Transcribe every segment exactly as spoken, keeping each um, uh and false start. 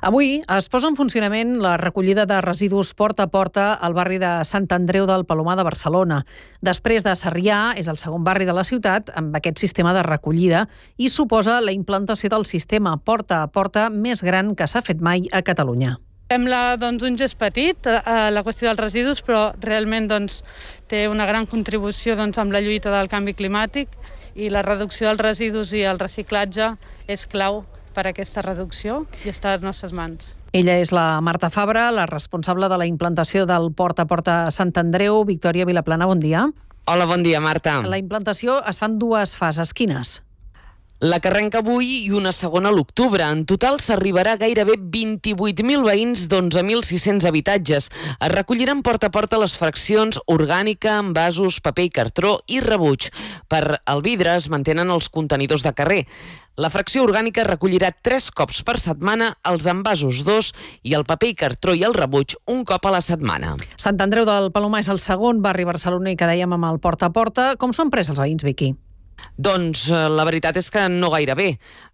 Avui es posa en funcionament la recollida de residus porta a porta al barri de Sant Andreu del Palomar de Barcelona. Després de Sarrià, és el segon barri de la ciutat amb aquest sistema de recollida i suposa la implantació del sistema porta a porta més gran que s'ha fet mai a Catalunya. Sembla doncs, un gest petit a la qüestió dels residus, però realment doncs, té una gran contribució doncs, amb la lluita del canvi climàtic i la reducció dels residus i el reciclatge és clau per a aquesta reducció i està a les nostres mans. Ella és la Marta Fabra, la responsable de la implantació del Porta a Porta Sant Andreu. Victòria Vilaplana, bon dia. Hola, bon dia, Marta. La implantació es fa en dues fases. Quines? La que arrenca avui i una segona a l'octubre. En total s'arribarà a gairebé vint-i-vuit mil veïns d'onze mil sis-cents habitatges. Es recolliran porta a porta les fraccions orgànica, envasos, paper i cartró i rebuig. Per al vidre es mantenen els contenidors de carrer. La fracció orgànica recollirà tres cops per setmana, els envasos dos i el paper i cartró i el rebuig un cop a la setmana. Sant Andreu del Palomar és el segon barri barceloní que dèiem amb el porta a porta. Com s'han pres els veïns, Vicky? Doncs la veritat és que no gaire bé.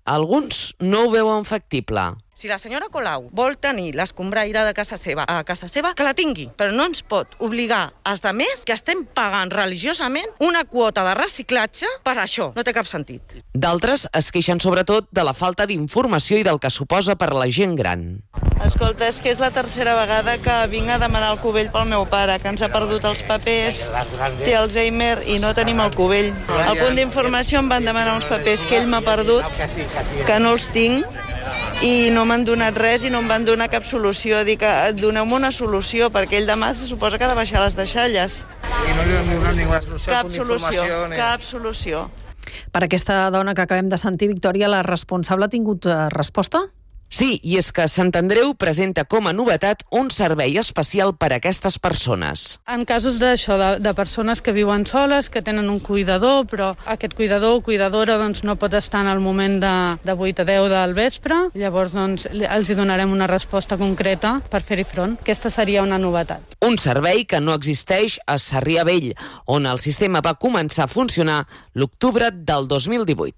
Alguns no ho veuen factible. Si la senyora Colau vol tenir l'escombraire de casa seva a casa seva, que la tingui, però no ens pot obligar als altres que estem pagant religiosament una quota de reciclatge per això. No té cap sentit. D'altres es queixen sobretot de la falta d'informació i del que suposa per a la gent gran. Escolta, és que és la tercera vegada que vinc a demanar el cubell pel meu pare, que ens ha perdut els papers, té Alzheimer i no tenim el cubell. Al punt d'informació em van demanar uns papers que ell m'ha perdut, que no els tinc, i no m'han donat res i no em van donar cap solució. Dic, doneu-me una solució, perquè ell demà se suposa que ha de baixar les deixalles. I no li han donat ninguna solució? Cap solució, cap solució. Per aquesta dona que acabem de sentir, Victòria, la responsable ha tingut resposta? Sí, i és que Sant Andreu presenta com a novetat un servei especial per a aquestes persones. En casos d'això, de, de persones que viuen soles, que tenen un cuidador, però aquest cuidador o cuidadora doncs, no pot estar en el moment de, de vuit a deu del vespre, llavors doncs, els hi donarem una resposta concreta per fer-hi front. Aquesta seria una novetat. Un servei que no existeix a Sarrià Vell, on el sistema va començar a funcionar l'octubre del dos mil divuit.